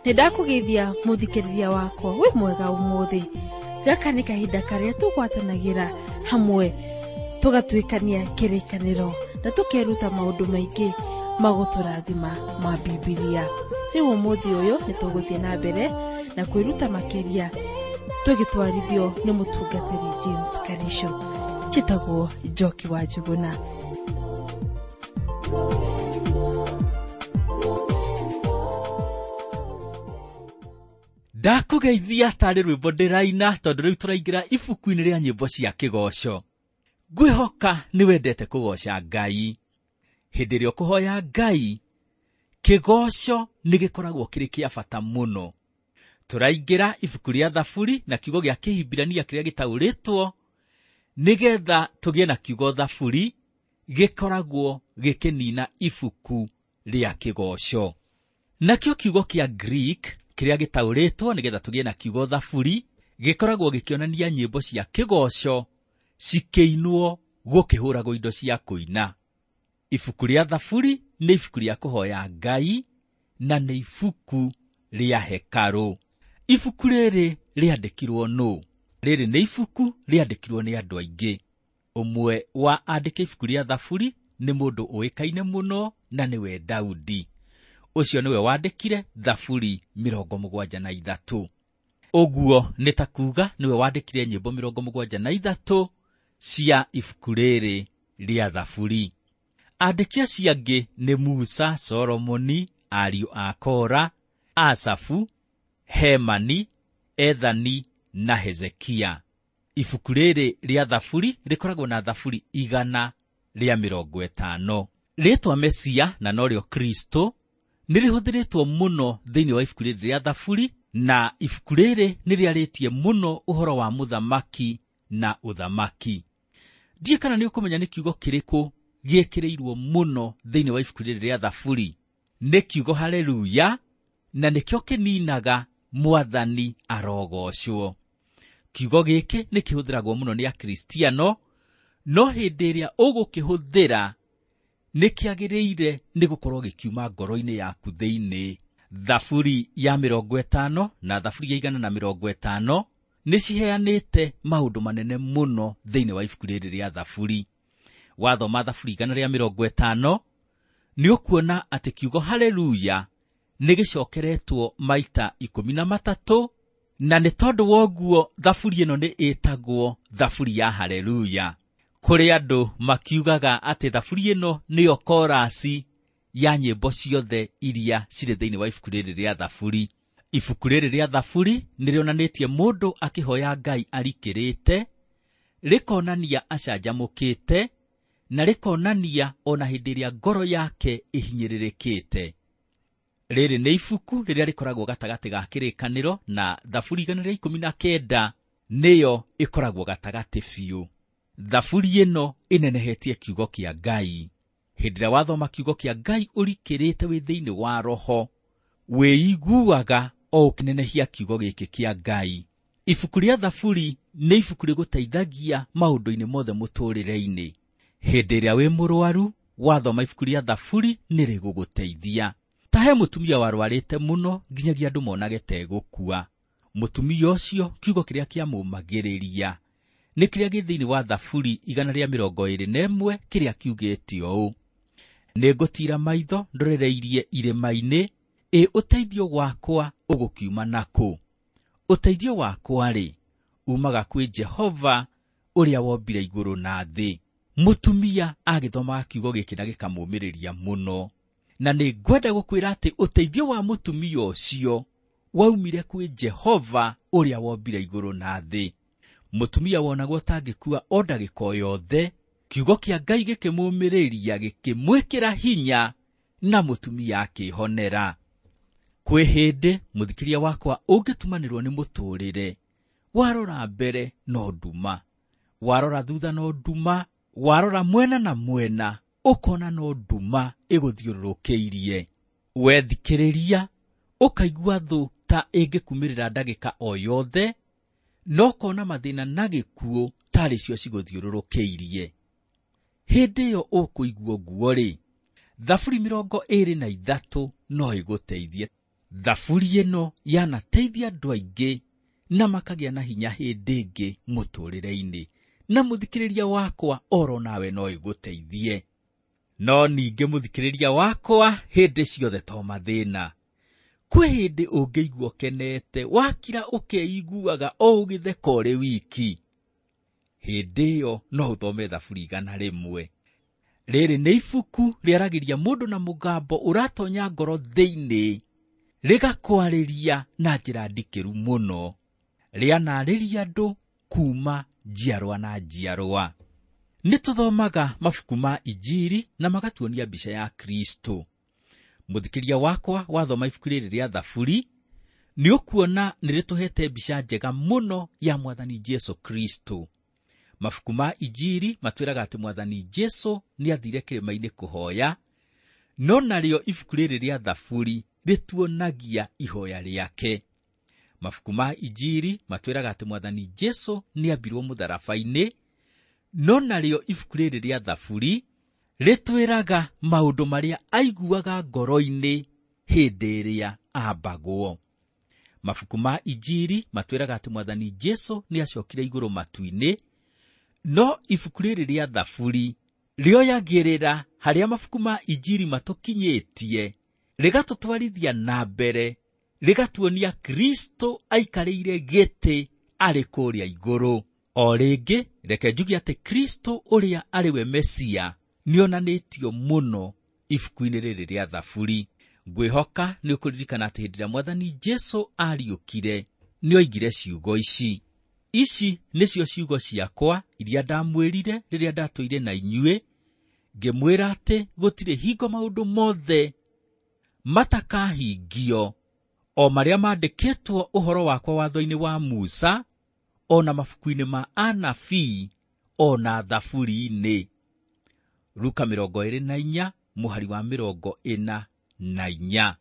Nĩ ndakũgeithia mũthikĩrĩria wakwa wĩ mwega ũmũthĩ. Gaka nĩ kahinda karĩa tũgwatanagĩra hamwe tũgatuĩkania kĩrĩkanĩro na tũkeruta maũndũ maingĩ magũtũrathima ma Bibilia. Rĩu ũmũthĩ ũyũ nĩ tũgũthiĩ na mbere na kwĩruta makĩria tũgĩtwarithio nĩ mũtungatĩri James Karisho. Njĩtagwo Njoki wa Njuguna. Ndakũgeithia tarĩ rwĩmbo ndĩraina tondũ rĩu tũraingĩra ibuku-inĩ rĩa nyĩmbo cia kĩgoco. Ngwĩhoka nĩ wendete kũgoca Ngai. Hĩndĩ ĩrĩa ũkũhoya Ngai, kĩgoco nĩ gĩkoragwo kĩrĩ kĩa bata mũno. Tũraingĩra ibuku rĩa Thaburi na kiugo gĩa Kĩhibirania kĩrĩa gĩtaũrĩtwo nĩgetha tũgĩe na kiugo Thaburi gĩkoragwo gĩkĩnina ibuku rĩa kĩgoco. Nakĩo kiugo kĩa Greek kĩrĩa gĩtaũrĩtwo nĩgetha tũgĩe na kiugo Thaburi gĩkoragwo gĩkĩonania nyĩmbo cia kĩgoco cikĩinwo gũkĩhũragwo indo cia kũina. Ibuku rĩa Thaburi nĩ ibuku rĩa kũhoya Ngai na nĩ ibuku rĩa hekarũ. Ibuku rĩrĩ rĩandĩkirwo nũ? Rĩrĩ nĩ ibuku rĩandĩkirwo nĩ andũ aingĩ. Ũmwe wa andĩki ibuku rĩa Thaburi nĩ mũndũ ũĩkaine mũno na nĩwe Daudi. Ũcio nĩwe wandĩkire Thaburi 73. Ũguo nĩ ta kuuga nĩwe wandĩkire nyĩmbo 73 cia ibuku rĩrĩ rĩa Thaburi. Andĩki acio angĩ nĩ Musa, Solomoni, ariũ a Kora, Asafu, Hemani, Ethani na Hezekia. Ibuku rĩrĩ rĩa Thaburi rĩkoragwo na Thaburi 150. Rĩĩtwa Mesia na norĩo Kristo nĩ rĩhũthĩrĩtwo mũno thĩinĩ wa ibuku rĩrĩ rĩa Thaburi, na ibuku rĩrĩ nĩ rĩarĩtie mũno ũhoro wa mũthamaki na ũthamaki. Ndiũĩ kana nĩ ũkũmenya nĩ kiugo kĩrĩkũ gĩĩkĩrĩirwo mũno thĩinĩ wa ibuku rĩrĩ rĩa Thaburi. Nĩ kiugo haleluya, na nĩkĩo kĩninaga Mwathani arogocwo. Kiugo gĩkĩ nĩ kĩhũthĩragwo mũno nĩ Akristiano, no hĩndĩ ĩrĩa ũgũkĩhũthĩra nĩ kĩagĩrĩire nĩ gũkorwo gĩkiuma ngoro-inĩ yaku thĩinĩ. Thaburi ya 50 na Thaburi ya 150 nĩ ciheanĩte maũndũ manene mũno thĩinĩ wa ibuku rĩrĩ rĩa Thaburi. Wathoma Thaburi 150 nĩ ũkuona atĩ kiugo haleluya nĩ gĩcokeretwo maita 13, na nĩ tondũ wa ũguo Thaburi ĩno nĩ ĩtagwo Thaburi ya haleluya. Kũrĩ andũ makiugaga atĩ Thaburi ĩno nĩyo korasi ya nyĩmbo ciothe iria cirĩ thĩinĩ wa ibuku rĩrĩ rĩa Thaburi. Ibuku rĩrĩ rĩa Thaburi nĩ rĩonanĩtie mũndũ akĩhoya Ngai arikĩrĩte, rĩkonania acanjamũkĩte, na rĩkonania ona hĩndĩ ĩrĩa ngoro yake ĩhinyĩrĩrĩkĩte. Rĩrĩ nĩ ibuku rĩrĩa rĩkoragwo gatagatĩ ga kĩrĩkanĩro, na Thaburi 119 nĩyo ĩkoragwo gatagatĩ biũ. Thaburi ĩno ĩnenehetie kiugo kĩa Ngai. Hĩndĩ ĩrĩa wathoma kiugo kĩa Ngai ũrikĩrĩte wĩ thĩinĩ wa roho, wĩiguaga o ũkĩnenehia kiugo gĩkĩ kĩa Ngai. Ibuku rĩa Thaburi nĩ ibuku rĩgũteithagia maũndũ-inĩ mothe mũtũũrĩre-inĩ. Hĩndĩ ĩrĩa wĩ mũrwaru, wathoma ibuku rĩa Thaburi nĩ rĩgũgũteithia. Ta he mũtumia warwarĩte mũno nginyagia andũ monage ta egũkua. Mũtumia ũcio kiugo kĩrĩa kĩamũmagĩrĩria nĩ kĩrĩa gĩ thĩinĩ wa Thaburi 121 kĩrĩa kiugĩte ũũ: Nĩngũtiira maitho ndorereirie irĩma-inĩ, ĩ ũteithio wakwa ũgũkiuma nakũ? Ũteithio wakwa-rĩ, umaga kwĩ Jehova ũrĩa wombire igũrũ na thĩ. Mũtumia agĩthomaga kiugo gĩkĩ na gĩkamũmĩrĩria mũno. Na nĩ ngwenda gũkwĩra atĩ ũteithio wa mũtumia ũcio waumire kwĩ Jehova ũrĩa wombire igũrũ na thĩ. Mũtumia wonagwo tangĩkua o ndagĩka o yothe, kiugo kĩa Ngai gĩkĩmũmĩrĩria, gĩkĩmwĩkĩra hinya, na mũtumia akĩhonera. Kwĩ hĩndĩ mũthikĩria wakwa ũngĩtumanĩrwo nĩ mũtũũrĩre, warora mbere no nduma, warora thutha no nduma, warora mwena na mwena ũkona no nduma ĩgũthiũrũrũkĩirie. Wethikĩrĩria ũkaigua thũ ta ĩngĩkumĩrĩra ndagĩka o yothe, no ũkona mathĩna na gĩkuũ tarĩ cio cigũthiũrũrũkĩirie. Hĩndĩ ĩyo ũkũigua ũguo-rĩ, Thaburi 23 no ĩgũteithie. Thaburi ĩno yanateithia andũ aingĩ na makagĩa na hinya hĩndĩ ĩngĩ mũtũũrĩre-inĩ, na mũthikĩrĩria wakwa oro nawe no ĩgũteithie. No ningĩ mũthikĩrĩria wakwa, hĩndĩ ciothe to mathĩna. Kwĩ hĩndĩ ũngĩigua ũkenete, wakira ũkeiguaga o ũgĩtheka ũrĩ wiki. Hĩndĩ ĩyo no ũthome Thaburi 101. Rĩrĩ nĩ ibuku rĩaragĩria mũndũ na mũgambo ũratonya ngoro thĩinĩ, rĩgakwarĩria na njĩra ndikĩru mũno. Rĩanarĩria andũ kuma njiarwa na njiarwa. Nĩ tũthomaga mabuku ma Injiri na magatuonia mbica ya Kristo. Mũthikĩria wakwa wathoma ibuku rĩrĩ rĩa Thaburi, nĩ ũkuona nĩ rĩtũhete mbica njega mũno ya Mwathani Jesu Kristo. Mabuku ma Injiri matwĩraga atĩ Mwathani Jesu nĩ athire kĩrĩma-inĩ kũhoya, no narĩo ibuku rĩrĩ rĩa Thaburi rĩtuonagia ihoya rĩake. Mabuku ma Injiri matwĩraga atĩ Mwathani Jesu nĩ ambirwo mũtharaba-inĩ, no narĩo ibuku rĩrĩ rĩa Thaburi rĩtwĩraga maũndũ marĩa aiguaga ngoro-inĩ hĩndĩ ĩrĩa ambagwo. Mabuku ma Injiri matwĩraga atĩ Mwathani Jesu nĩ acokire igũrũ matu-inĩ, no ibuku rĩrĩ rĩa Thaburi rĩoyagĩrĩra harĩa mabuku ma Injiri matũkinyĩtie, rĩgatũtwarithia na mbere, rĩgatuonia Kristo aikarĩire gĩtĩ arĩ kũrĩa igũrũ. O rĩngĩ reke njuge atĩ Kristo ũrĩa arĩ we Mesia nĩonanĩtio mũno ibuku-inĩ rĩrĩ rĩa Thaburi. Ngwĩhoka nĩ ũkũririkana atĩ hĩndĩ ĩrĩa Mwathani Jesu ariũkire nĩoigire ciugo ici: ici nĩcio ciugo ciakwa iria ndamwĩrire rĩrĩa ndatũire na inyuĩ, ngĩmwĩra atĩ gũtirĩ hingo maũndũ mothe matakahingio, o marĩa maandĩkĩtwo ũhoro wakwa watho-inĩ wa Musa, o na mabuku-inĩ ma anabii, o na Thaburi-inĩ. Luka 24 mũhari wa 44.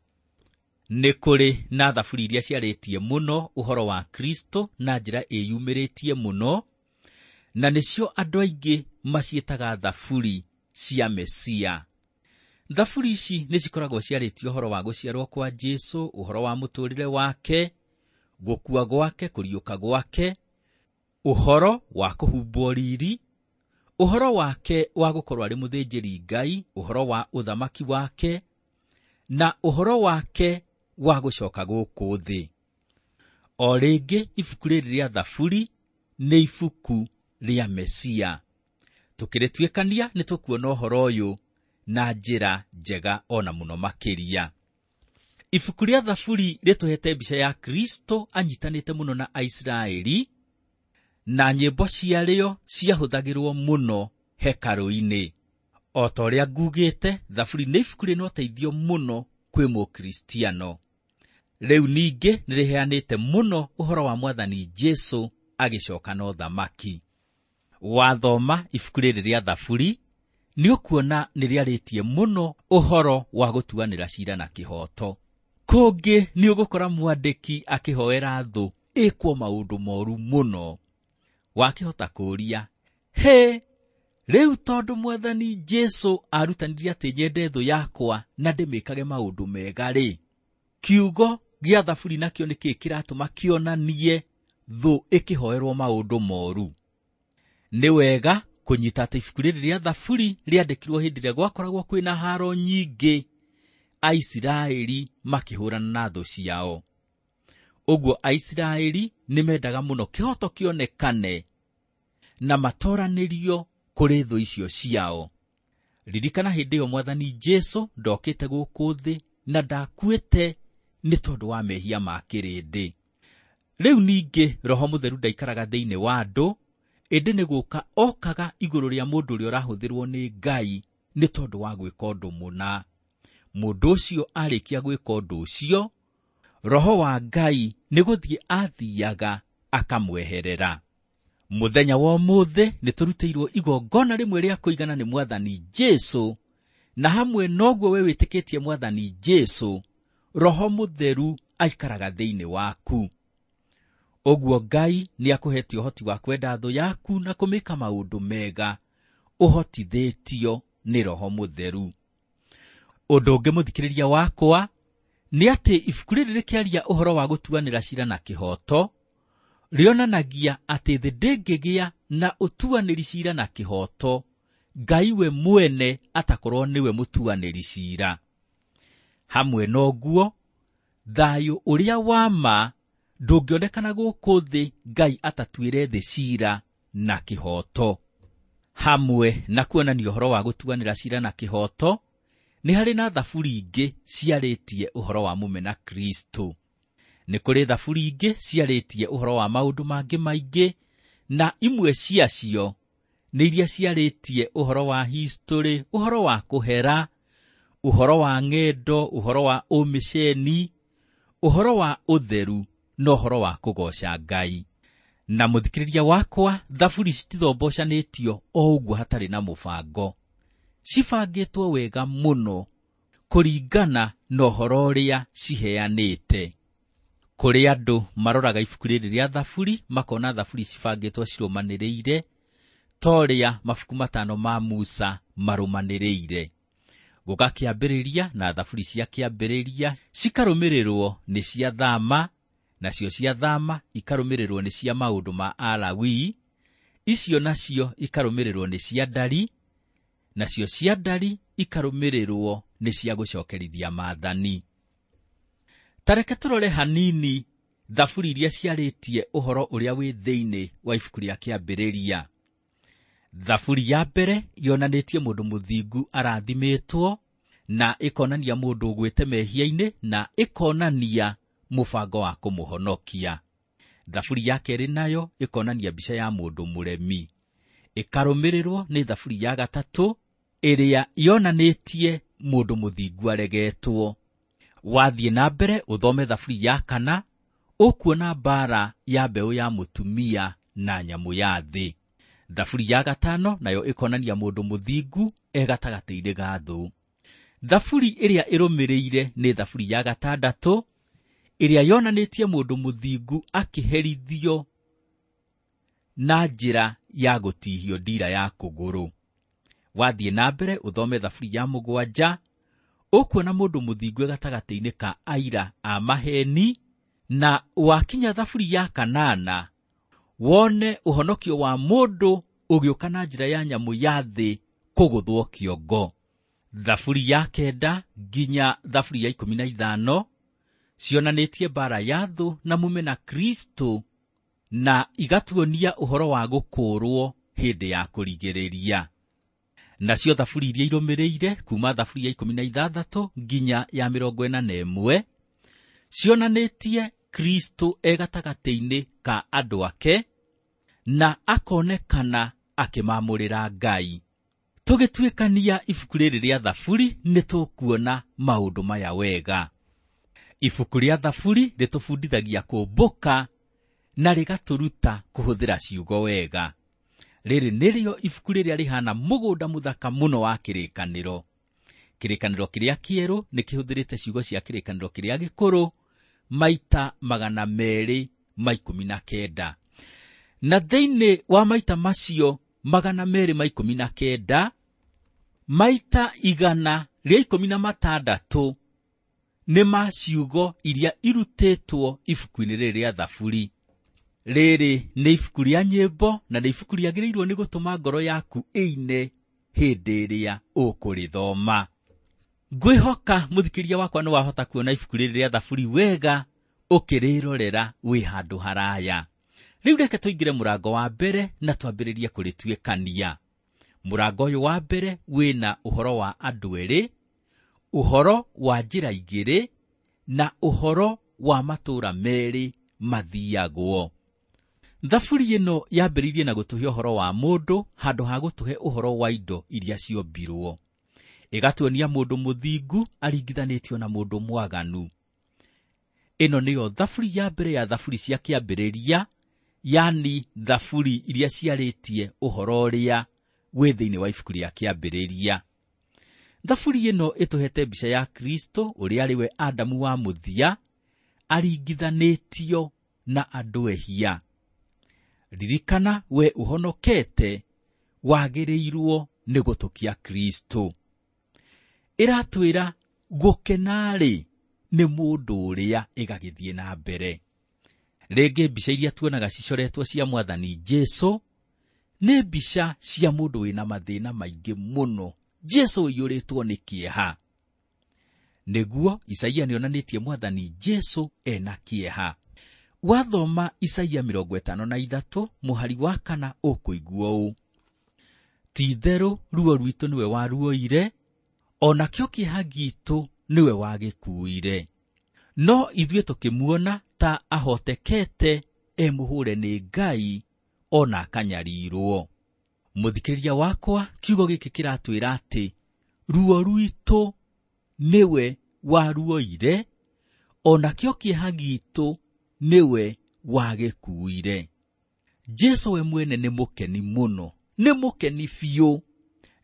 Nĩ kũrĩ na thaburi iria ciarĩtie mũno ũhoro wa Kristo na njĩra ĩyumĩrĩtie mũno, na nĩcio andũ aingĩ maciĩtaga thaburi cia Mesia. Thaburi ici nĩ cikoragwo ciarĩtie ũhoro wa gũciarwo kwa Jesu, ũhoro wa mũtũũrĩre wake, gũkua gwake, kũriũka gwake, ũhoro wa kũhumbwo riri, ũhoro wake wa gũkorwo arĩ mũthĩnjĩri Ngai, ũhoro wa ũthamaki wake, na ũhoro wake wa gũcoka gũkũ thĩ. O rĩngĩ ibuku rĩrĩ rĩa Thaburi nĩ ibuku rĩa Mesia. Tũkĩrĩtuĩkania nĩ tũkuona ũhoro ũyũ na njĩra njega ona mũno makĩria. Ibuku rĩa Thaburi rĩtũhete mbica ya Kristo anyitanĩte mũno na Aisiraeli, na nyĩmbo ciarĩo ciahũthagĩrwo mũno hekarũ-inĩ. O ta ũrĩa ngugĩte, Thaburi nĩ ibuku rĩna ũteithio mũno kwĩ Mũkristiano. Rĩu ningĩ nĩ rĩheanĩte mũno ũhoro wa Mwathani Jesu agĩcoka na ũthamaki. Wathoma ibuku rĩrĩ rĩa Thaburi nĩ ũkuona nĩ rĩarĩtie mũno ũhoro wa gũtuanĩra ciira na kĩhooto. Kũngĩ nĩ ũgũkora mwandĩki akĩhoera thũ ĩkwo maũndũ moru mũno. Wakĩhota kũũria, he, rĩu tondũ Mwathani Jesu arutanirie atĩ nyende thũ yakwa na ndĩmĩkage maũndũ mega rĩ, kiugo gĩa Thaburi nakĩo nĩkĩĩ kĩratũma kĩonanie thũ ĩkĩhoerwo maũndũ moru? Nĩ wega kũnyita atĩ ibuku rĩrĩ rĩa Thaburi rĩandĩkirwo hĩndĩ ĩrĩa gwakoragwo kwĩna haro nyingĩ, Aisiraeli makĩhũrana na thũ ciao. Ũguo Aisiraeli nĩ mendaga mũno kĩhooto kĩonekane na matoranĩrio kũrĩ thũ icio ciao. Ririkana hĩndĩ ĩyo Mwathani Jesu ndokĩte gũkũ thĩ na ndakuĩte nĩ tondũ wa mehia ma kĩrĩndĩ. Rĩu ningĩ Roho Mũtheru ndaikaraga thĩinĩ wa andũ, ĩndĩ nĩ gũka okaga igũrũ rĩa mũndũ ũrĩa ũrahũthĩrwo nĩ Ngai nĩ tondũ wa gwĩka ũndũ mũna. Mũndũ ũcio arĩkia gwĩka ũndũ ũcio, Roho wa Ngai nĩ gũthiĩ athiaga akamweherera. Mũthenya wa ũmũthĩ nĩ tũrutĩirwo igongona rĩmwe rĩa kũigana nĩ Mwathani Jesu, na hamwe noguo we wĩtĩkĩtie Mwathani Jesu, Roho Mũtheru aikaraga thĩinĩ waku. Ũguo Ngai nĩ akũhete ũhoti wa kwenda thũ yaku na kũmĩka maũndũ mega, ũhotithĩtio nĩ Roho Mũtheru. Ũndũ ũngĩ mũthikĩrĩria wakwa Nĩ atĩ ibuku rĩrĩ rĩkĩaria ũhoro wa gũtuanĩra ciira na kĩhooto, rĩonanagia atĩ thĩ ndĩngĩgĩa na ũtuanĩri ciira na kĩhooto Ngai we mwene atakorwo nĩwe mũtuanĩri ciira. Hamwe na ũguo, thayũ ũrĩa wa ma ndũngĩonekana gũkũ thĩ Ngai atatuĩre thĩ ciira na kĩhooto. Hamwe na kuonania ũhoro wa gũtuanĩra ciira na kĩhooto, nĩ harĩ na thaburi ingĩ ciarĩtie ũhoro wa mũmena Kristo. Nĩ kũrĩ thaburi ingĩ ciarĩtie ũhoro wa maũndũ mangĩ maingĩ, na imwe ciacio nĩ iria ciarĩtie ũhoro wa history, ũhoro wa kũhera, ũhoro wa ng'endo, ũhoro wa ũmĩceni, ũhoro wa ũtheru na ũhoro wa kũgooca Ngai. Na mũthikĩrĩria wakwa, thaburi citithombocanĩtio o ũguo hatarĩ na mũbango. Cibangĩtwo wega mũno kũringana na ũhoro ũrĩa ciheanĩte. Kũrĩ andũ maroraga ibuku rĩrĩ rĩa thaburi makona thaburi cibangĩtwo cirũmanĩrĩire ta ũrĩa mabuku 5 ma Musa marũmanĩrĩire. Gũgakĩambĩrĩria na thaburi cia kĩambĩrĩria cikarũmĩrĩrwo nĩ cia Thama, nacio cia Thama ikarũmĩrĩrwo nĩ cia maũndũ ma Alawii, icio nacio ikarũmĩrĩrwo nĩ cia Ndari, nacio cia Ndari ikarũmĩrĩrwo nĩ cia gũcokerithia maathani. Ta reke tũrore hanini thaburi iria ciarĩtie ũhoro ũrĩa wĩ thĩinĩ wa ibuku rĩa kĩambĩrĩria. Thaburi ya mbere yonanĩtie mũndũ mũthingu arathimĩtwo, na ĩkonania mũndũ ũgwĩte mehia-inĩ, na ĩkonania mũbango wa kũmũhonokia. Thaburi ya kerĩ nayo ĩkonania mbica ya mũndũ mũremi. Ĩkarũmĩrĩrwo nĩ thaburi ya gatatũ ĩrĩa yonanĩtie mũndũ mũthingu aregetwo. Wathiĩ na mbere ũthome thaburi ya kana, ũkuona mbaara ya mbeũ ya mũtumia na nyamũ ya thĩ. Thaburi ya gatano nayo ĩkonania mũndũ mũthingu e gatagatĩ-inĩ ga thũ. Thaburi ĩrĩa ĩrũmĩrĩire nĩ thaburi ya gatandatũ ĩrĩa yonanĩtie mũndũ mũthingu akĩherithio na njĩra ya gũtihio ndira ya kũgũrũ. Wathiĩ na mbere ũthome thaburi ya mũgwanja, ũkuona mũndũ mũthingu e gatagatĩ-inĩ ka aira a maheni, na wakinya thaburi ya kanana wone ũhonokio wa mũndũ ũgĩũka na njĩra ya nyamũ ya thĩ kũgũthwo kĩongo. Thaburi ya 9 nginya thaburi ya 15 cionanĩtie mbaara ya thũ na mũmena Kristo, na igatuonia ũhoro wa gũkũũrwo hĩndĩ ya kũrigĩrĩria. Nacio thaburi iria irũmĩrĩire kuma thaburi ya 16 nginya ya 41 cionanĩtie Kristo e gatagatĩ-inĩ ka andũ ake na akonekana akĩmamũrĩra Ngai. Tũgĩtuĩkania ibuku rĩrĩ rĩa thaburi nĩ tũkuona maũndũ maya wega. Ibuku rĩa thaburi rĩtũbundithagia kũmbũka na rĩgatũruta kũhũthĩra ciugo wega. Rĩrĩ nĩrĩo ibuku rĩrĩa rĩhana mũgũnda mũthaka mũno wa kĩrĩkanĩro. Kĩrĩkanĩro kĩrĩa kĩerũ nĩ kĩhũthĩrĩte ciugo cia kĩrĩkanĩro kĩrĩa gĩkũrũ maita 219. Na thĩinĩ wa maita macio 219, maita 116 nĩ ma ciugo iria irutĩtwo ibuku-inĩ rĩrĩ rĩa thaburi. Rĩrĩ nĩ ibuku rĩa nyĩmbo na nĩ ibuku rĩagĩrĩirwo nĩ gũtũma ngoro yaku ĩine hĩndĩ ĩrĩa ũkũrĩthoma. Ngwĩhoka mũthikĩria wakwa nĩ wahota kuona ibuku rĩrĩ rĩa thaburi wega ũkĩrĩrorera wĩ handũ haraya. Rĩu reke tũingĩre mũrango wa mbere na twambĩrĩrie kũrĩtuĩkania. Mũrango ũyũ wa mbere wĩna ũhoro wa andũ erĩ, ũhoro wa njĩra igĩrĩ na ũhoro wa matũũra merĩ mathiagwo. Thaburi ĩno yambĩrĩirie na gũtũhe ũhoro wa mũndũ handũ ha gũtũhe ũhoro wa indo iria ciombirwo. Ĩgatuonia mũndũ mũthingu aringithanĩtio na mũndũ mwaganu. Ĩno nĩyo thaburi ya mbere ya thaburi cia kĩambĩrĩria, yani thaburi iria ciarĩtie ũhoro ũrĩa wĩ thĩinĩ wa ibuku rĩa kĩambĩrĩria. Thaburi ĩno ĩtũhete mbica ya Kristo ũrĩa arĩ we Adamu wa mũthia aringithanĩtio na andũ ehia. Ririkana we ũhonokete wagĩrĩirwo nĩ gũtũkia Kristo. Ĩratwĩra gũkena-rĩ nĩ mũndũ ũrĩa ĩgagĩthiĩ na mbere. Rĩngĩ mbica iria tuonaga cicoretwo cia Mwathani Jesũ nĩ mbica cia mũndũ wĩna mathĩna maingĩ mũno. Jesũ ũiyũrĩtwo nĩ kĩeha. Nĩguo Isaia nĩonanĩtie Mwathani Jesũ ena kĩeha. Wathoma Isaia 53 mũhari wa 4 ũkũigua ũũ: ti-itherũ ruo rwitũ nĩwe waruoire, o nakĩo kĩeha gitũ nĩwe wagĩkuire. No ithuĩ tũkĩmuona ta ahotekete e mũhũre nĩ Ngai ona akanyarirwo. Mũthikĩrĩria wakwa, kiugo gĩkĩ kĩratwĩra atĩ ruo rwitũ nĩwe waruoire, o nakĩo kĩeha gitũ nĩwe wagĩkuire. Jesũ we mwene nĩ mũkeni mũno, nĩ mũkeni biũ.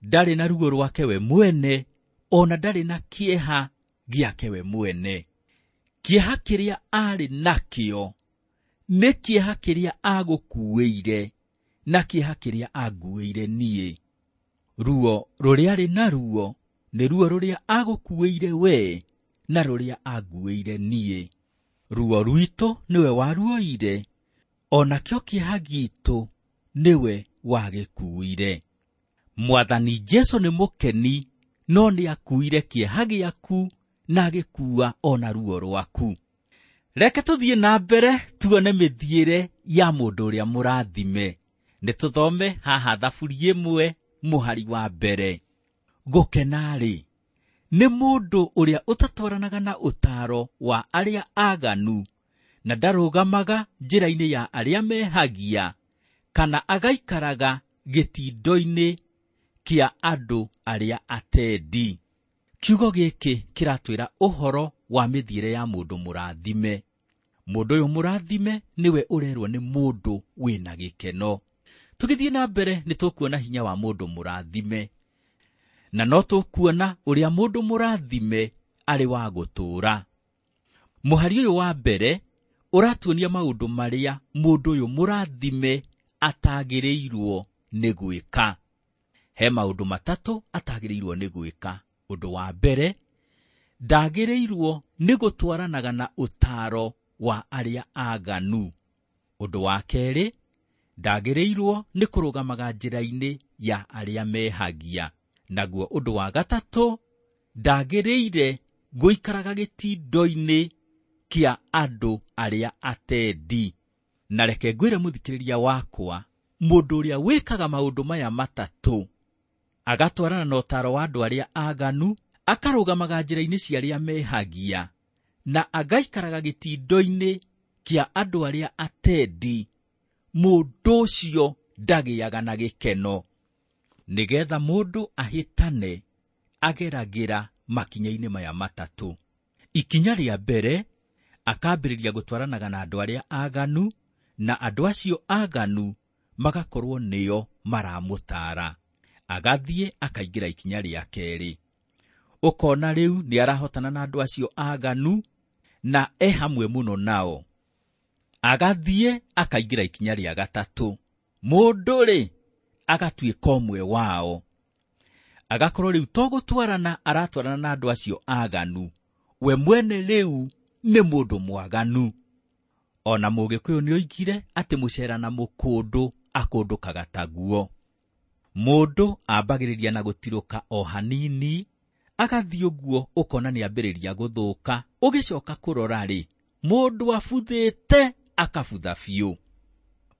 Ndarĩ na ruo rwake we mwene, ona ndarĩ na kĩeha gĩake we mwene. Kĩeha kĩrĩa arĩ nakĩo nĩ kĩeha kĩrĩa agũkuĩire na kĩeha kĩrĩa anguĩire niĩ. Ruo rũrĩa arĩ naruo nĩ ruo rũrĩa agũkuĩire we na rũrĩa anguĩire niĩ. Ruo rwitũ nĩwe waruoire, o nakĩo kĩeha gitũ nĩwe wagĩkuire. Mwathani Jesũ nĩ mũkeni, no nĩ akuire kĩeha gĩaku na agĩkua ona ruo rwaku. Reke tũthiĩ na mbere tuone mĩthiĩre ya mũndũ ũrĩa mũrathime. Nĩ tũthome haha Thaburi 1 mũhari wa 1. Gũkena-rĩ, nĩ mũndũ ũrĩa ũtatwaranaga na ũtaaro wa arĩa aganu, na ndarũgamaga njĩra-inĩ ya arĩa mehagia, kana agaikaraga gĩtindo-inĩ kĩa andũ arĩa atendi. Kiugo gĩkĩ kĩratwĩra ũhoro wa mĩthiĩre ya mũndũ mũrathime. Mũndũ ũyũ mũrathime nĩwe ũrerwo nĩ mũndũ wĩna gĩkeno. Tũgĩthiĩ na mbere nĩ tũkuona hinya wa mũndũ mũrathime, na no tũkuona ũrĩa mũndũ mũrathime arĩ wa gũtũũra. Mũhari ũyũ wa 1 ũratuonia maũndũ marĩa mũndũ ũyũ mũrathime atagĩrĩirwo nĩ gwĩka. He maũndũ matatũ atagĩrĩirwo nĩ gwĩka. Ũndũ wa 1, ndagĩrĩirwo nĩ gũtwaranaga na ũtaaro wa arĩa aganu. Ũndũ wa 2, ndagĩrĩirwo nĩ kũrũgamaga njĩra-inĩ ya arĩa mehagia. Naguo ũndũ wa 3, ndagĩrĩire gũikaraga gĩtindo-inĩ kĩa andũ arĩa atendi. Na reke ngwĩre mũthikĩrĩria wakwa, mũndũ ũrĩa wĩkaga maũndũ maya matatũ, agatwarana na ũtaaro wa andũ arĩa aganu, akarũgamaga njĩra-inĩ cia arĩa mehagia, na agaikaraga gĩtindo-inĩ kĩa andũ arĩa atendi, mũndũ ũcio ndagĩaga na gĩkeno. Nĩgetha mũndũ ahĩtane, ageragĩra makinya-inĩ maya matatũ. Ikinya rĩa 1, akambĩrĩria gũtwaranaga na andũ arĩa aganu, na andũ acio aganu magakorwo nĩo maramũtaara. Agathiĩ akaingĩra ikinya rĩa 2. Ũkona rĩu nĩ arahotana na andũ acio aganu na e hamwe mũno nao. Agathiĩ akaingĩra ikinya rĩa 3. Mũndũ-rĩ, agatuĩka ũmwe wao. Agakorwo rĩu to gũtwarana aratwarana na andũ acio aganu, we mwene rĩu nĩ mũndũ mwaganu. Ona Mũgĩkũyũ nĩoigire atĩ mũcera na mũkũndũ akũndũkaga taguo. Mũndũ ambagĩrĩria na gũtirũka o hanini, agathiĩ ũguo ũkona nĩambĩrĩria gũthũka, ũgĩcoka kũrora-rĩ, mũndũ abuthĩte akabutha biũ.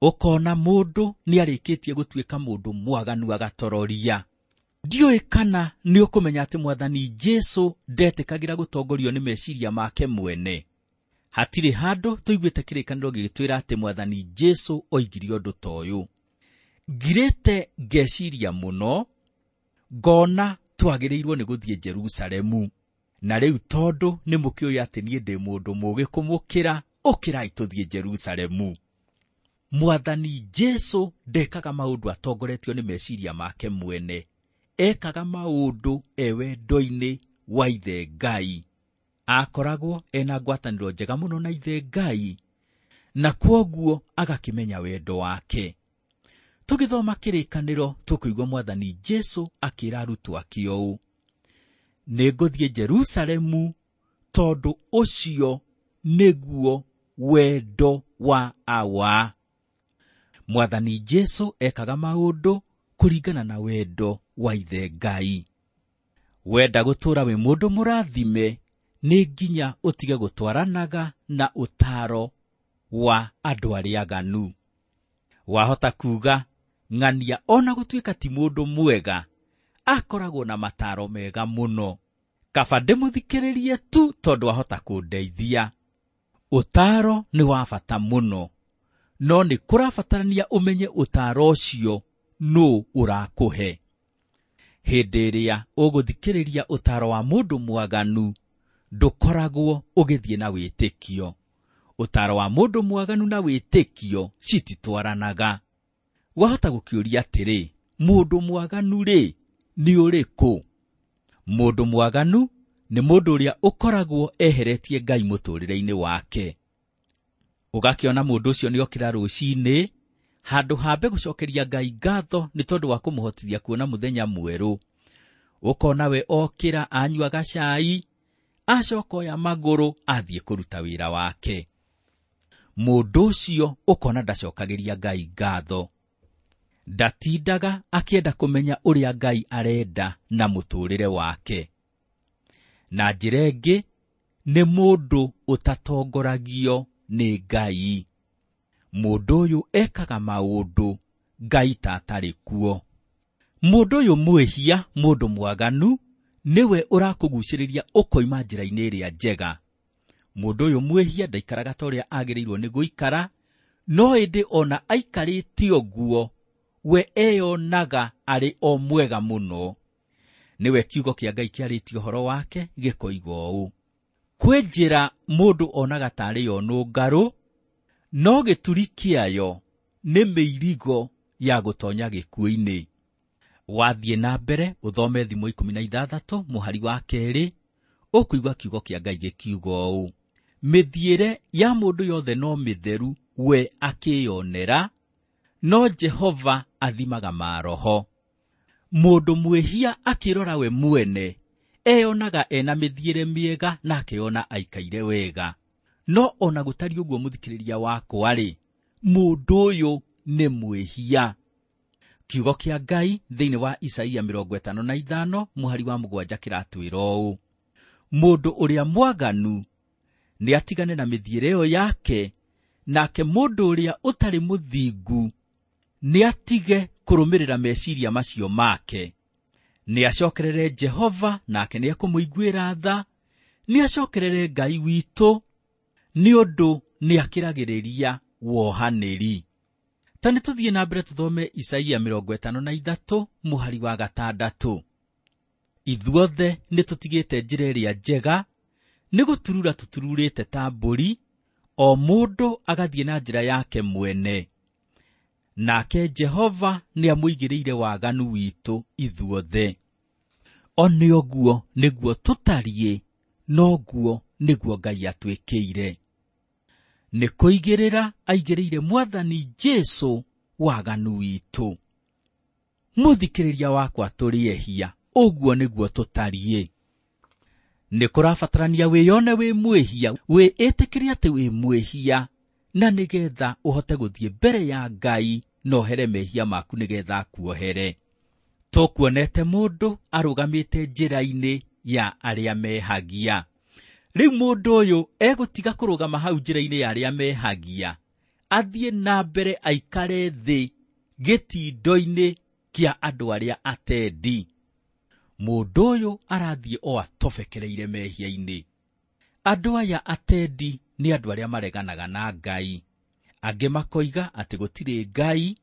Ũkona mũndũ nĩarĩkĩtie gũtuĩka mũndũ mwaganu agatororia. Ndiũĩ kana nĩũkũmenya atĩ Mwathani Jesũ ndetĩkagĩra gũtongorio nĩ meciria make mwene. Hatirĩ handũ tũiguĩte kĩrĩkanĩro gĩgĩtwĩra atĩ Mwathani Jesũ oigire ũndũ ta ũyũ. Ngirĩte ngeciria mũno, ngona twagĩrĩirwo nĩ gũthiĩ Jerusalemu. Na rĩu tondũ nĩ mũkĩũĩ atĩ niĩ ndĩ mũndũ mũũgĩ kũmũkĩra, ũkĩrai tũthiĩ Jerusalemu. Mwathani Jesũ ndekaga maũndũ atongoretio nĩ meciria make mwene. Ekaga maũndũ e wendo-inĩ wa Ithe Ngai. Akoragwo ena ngwatanĩro njega mũno na Ithe Ngai, na kwoguo agakĩmenya wendo wake. Tũgĩthoma kĩrĩkanĩro tũkũigua Mwathani Jesũ akĩra arutwo ake ũũ: nĩngũthiĩ Jerusalemu Tondũ ũcio nĩguo wendo wa Awa. Mwathani Jesu ekaga maũndũ kũringana na wendo wa Ithe Ngai. Wenda gũtũũra wĩ mũndũ mũrathime, nĩ nginya ũtige gũtwaranaga na ũtaaro wa andũ arĩa aganu. Wahota kuuga ng'ania ona gũtuĩka ti mũndũ mwega, akoragwo na mataaro mega mũno. Kaba ndĩmũthikĩrĩrie tu tondũ ahota kũndeithia. Ũtaaro nĩ wa bata mũno, no nĩ kũrabatarania ũmenye ũtaaro ũcio nũ ũrakũhe. Hĩndĩ ĩrĩa ũgũthikĩrĩria ũtaaro wa mũndũ mwaganu, ndũkoragwo ũgĩthiĩ na wĩtĩkio. Ũtaaro wa mũndũ mwaganu na wĩtĩkio cititwaranaga. Wahota gũkĩũria atĩrĩ, mũndũ mwaganu rĩ nĩ ũrĩkũ? Mũndũ mwaganu nĩ mũndũ ũrĩa ũkoragwo eheretie Ngai mũtũũrĩre-inĩ wake. Ũgakĩona mũndũ ũcio nĩokĩra rũcinĩ, handũ hambe gũcokeria Ngai ngatho nĩ tondũ wa kũmũhotithia kuona mũthenya mwerũ. Ũkona we okĩra anyua gacai, acoka oya magũrũ athiĩ kũruta wĩra wake. Mũndũ ũcio ũkona ndacokagĩria Ngai ngatho. Ndatindaga akĩenda kũmenya ũrĩa Ngai arenda na mũtũũrĩre wake. Na njĩra ĩngĩ, nĩ mũndũ ũtatongoragio nĩ Ngai. Mũndũ ũyũ ekaga maũndũ Ngai ta atarĩ kuo. Mũndũ ũyũ mwĩhia, mũndũ mwaganu, nĩwe ũrakũgucĩrĩria ũkoima njĩra-inĩ ĩrĩa njega. Mũndũ ũyũ mwĩhia ndaikaraga ta ũrĩa agĩrĩirwo nĩ gũikara, no ĩndĩ ona aikarĩte ũguo, we eyonaga arĩ o mwega mũno. Nĩwe kiugo kĩa Ngai kĩarĩtie ũhoro wake gĩkoiga ũũ: kwĩ njĩra mũndũ onaga tarĩ yo nũngarũ, no gĩturi kĩayo nĩ mĩirigo ya gũtonya gĩkuũ-inĩ. Wathiĩ na mbere ũthome Thimo 16 mũhari wa 2, ũkũigua kiugo kĩa Ngai gĩkiuga ũũ: mĩthiĩre ya mũndũ yothe no mĩtheru we akĩyonera, no Jehova athimaga maroho. Mũndũ mwĩhia akĩrora we mwene, eyonaga ena mĩthiĩre mĩega na akeyona aikaire wega. No ona gũtariĩ ũguo mũthikĩrĩria wakwa-rĩ, mũndũ ũyũ nĩ mwĩhia. Kiugo kĩa Ngai thĩinĩ wa Isaia 55 mũhari wa 7 kĩratwĩra ũũ: mũndũ ũrĩa mwaganu nĩ atigane na mĩthiĩre ĩyo yake, nake mũndũ ũrĩa ũtarĩ mũthingu nĩ atige kũrũmĩrĩra meciria macio make. Nĩ acokerere Jehova, nake nĩ ekũmũiguĩra tha, nĩ acokerere Ngai witũ, nĩ ũndũ nĩ akĩragĩrĩria wohanĩri. Ta nĩ tũthiĩ na mbere tũthome Isaia 53 mũhari wa 6. Ithuothe nĩ tũtigĩte njĩra ĩrĩa njega, nĩ gũturura tũtururĩte ta mbũri, o mũndũ agathiĩ na njĩra yake mwene. Nake Jehova nĩ amũigĩrĩire waganu witũ ithuothe. O nĩ ũguo nĩguo tũtariĩ, noguo nĩguo Ngai atwĩkĩire. Nĩ kũigĩrĩra aigĩrĩire Mwathani Jesu waganu witũ. Mũthikĩrĩria wakwa, tũrĩ ehia, ũguo nĩguo tũtariĩ. Nĩ kũrabatarania wĩyone wĩ mwĩhia, wĩĩtĩkĩre atĩ wĩ mwĩhia, na nĩgetha ũhote gũthiĩ mbere ya Ngai na ũhere mehia maku nĩgetha akuohere. Tũkuonete mũndũ arũgamĩte njĩra-inĩ ya arĩa mehagia. Rĩu mũndũ ũyũ egũtiga kũrũgama hau njĩra-inĩ ya arĩa mehagia, athiĩ na mbere aikare thĩ gĩtindo-inĩ kĩa andũ arĩa atendi. Mũndũ ũyũ arathiĩ o atobekereire mehia-inĩ. Andũ aya atendi nĩ andũ arĩa mareganaga na Ngai. Angĩ makoiga atĩ gũtirĩ Ngai,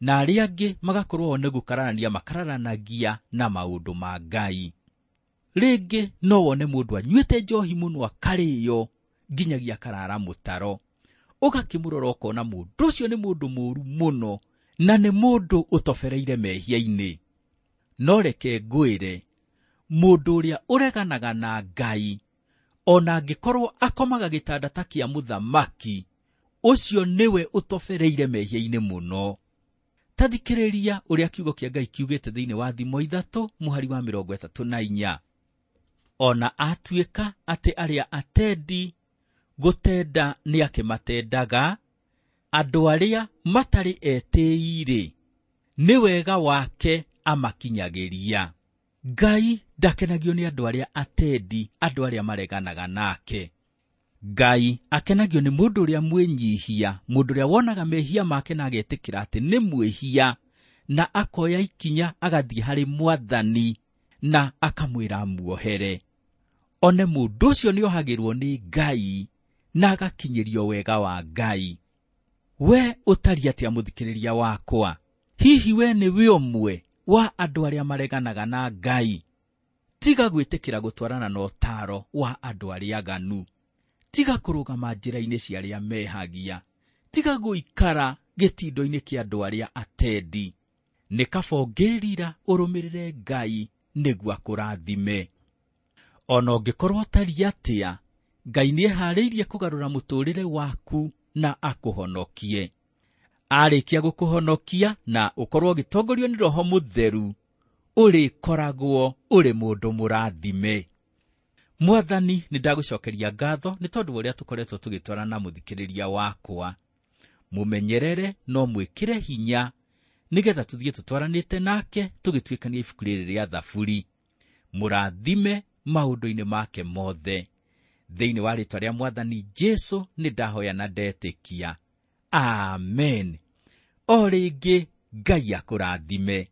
na arĩa angĩ magakorwo o nĩ gũkararania makararanagia na maũndũ ma Ngai. Rĩngĩ no wone mũndũ anyuĩte njohi mũno akarĩo nginyagia akarara mũtaro. Ũgakĩmũrora ũkona mũndũ ũcio nĩ mũndũ mũũru mũno na nĩ mũndũ ũtobereire mehia-inĩ. No reke ngwĩre, mũndũ ũrĩa ũreganaga na Ngai, ona angĩkorwo akomaga gĩtanda ta kĩa mũthamaki, ũcio nĩwe ũtobereire mehia-inĩ mũno. Ta thikĩrĩria ũrĩa kiugo kĩa Ngai kiugĩte thĩinĩ wa Thimo 3 mũhari wa 34. Ona atuĩka atĩ arĩa atendi gũtenda nĩ akĩmatendaga, andũ arĩa matarĩ etĩĩi-rĩ, nĩ wega wake amakinyagĩria. Ngai ndakenagio nĩ andũ arĩa atendi, andũ arĩa mareganaga nake. Ngai akenagio nĩ mũndũ ũrĩa mwĩnyihia, mũndũ ũrĩa wonaga mehia make na agetĩkĩra atĩ nĩ mwĩhia, na akoya ikinya agathiĩ harĩ Mwathani na akamwĩra amuohere. One mũndũ ũcio nĩohagĩrwo nĩ Ngai na agakinyĩrio wega wa Ngai. We ũtariĩ atĩa mũthikĩrĩria wakwa? Hihi we nĩwe ũmwe wa andũ arĩa mareganaga na Ngai? Tiga gwĩtĩkĩra gũtwarana na ũtaaro wa andũ arĩa aganu. Tiga kũrũgama njĩra-inĩ cia arĩa mehagia. Tiga gũikara gĩtindo-inĩ kĩa andũ arĩa atendi. Nĩ kaba ũngĩĩrira ũrũmĩrĩre Ngai nĩguo akũrathime. Ona ũngĩkorwo ũtariĩ atĩa, Ngai nĩeharĩirie kũgarũra mũtũũrĩre waku na akũhonokie. Arĩkia gũkũhonokia na ũkorwo ũgĩtongorio nĩ Roho Mũtheru, ũrĩkoragwo ũrĩ mũndũ mũrathime. Mwathani, nĩ ndagũcokeria ngatho nĩ tondũ wa ũrĩa tũkoretwo tũgĩtwarana mũthikĩrĩria wakwa. Mũmenyerere no mwĩkĩre hinya nĩgetha tũthiĩ tũtwaranĩte nake tũgĩtuĩkania ibuku rĩrĩ rĩa Thaburi. Mũrathime maũndũ-inĩ make mothe. Thĩinĩ wa rĩĩtwa rĩa Mwathani Jesu nĩ ndahoya na ndetĩkia. Amen. O rĩngĩ Ngai akũrathime.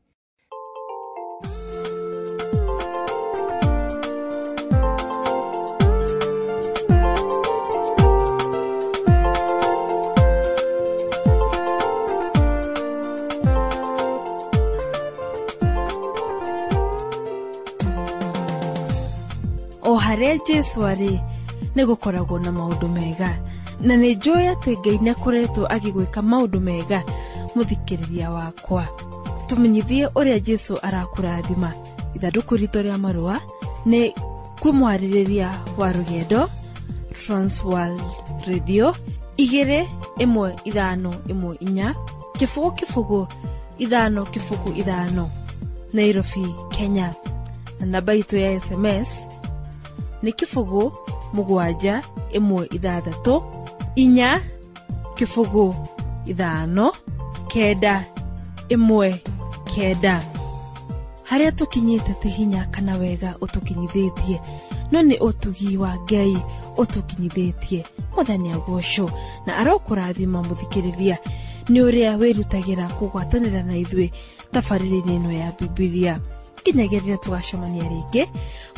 O harĩa Jesu arĩ nĩ gũkoragwo na maũndũ mega, na nĩ njũĩ atĩ Ngai nĩ akoretwo agĩgwĩka maũndũ mega. Mũthikĩrĩria wakwa, tũmenyithie ũrĩa Jesu arakũrathima. Ithandũkũ ritũ rĩa marũa nĩ kwĩ mwarĩrĩria wa rũgendo, Transworld Radio 21514 0 0 5 0 5, Nairobi, Kenya. Na namba itũ ya SMS nĩ 0 7 1 6 4 0 5 9 1 9. Harĩa tũkinyĩte ti hinya kana wega ũtũkinyithĩtie, no nĩ ũtugi wa Ngai ũtũkinyithĩtie. Mwathani agocwo na arokũrathima mũthikĩrĩria nĩ ũrĩa wĩrutagĩra kũgwatanĩra na ithuĩ tabarĩra-inĩ ĩno ya Bibilia. Nginyagia rĩrĩa tũgacemania rĩngĩ,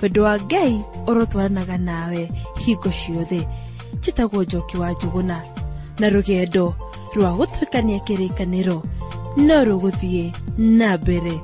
wendo wa Ngai ũrotwaranaga nawe hingo ciothe. Njĩtagwo Njoki wa Njũgũna, na rũgendo rwa gũtuĩkania kĩrĩkanĩro no rũgũthiĩ na mbere.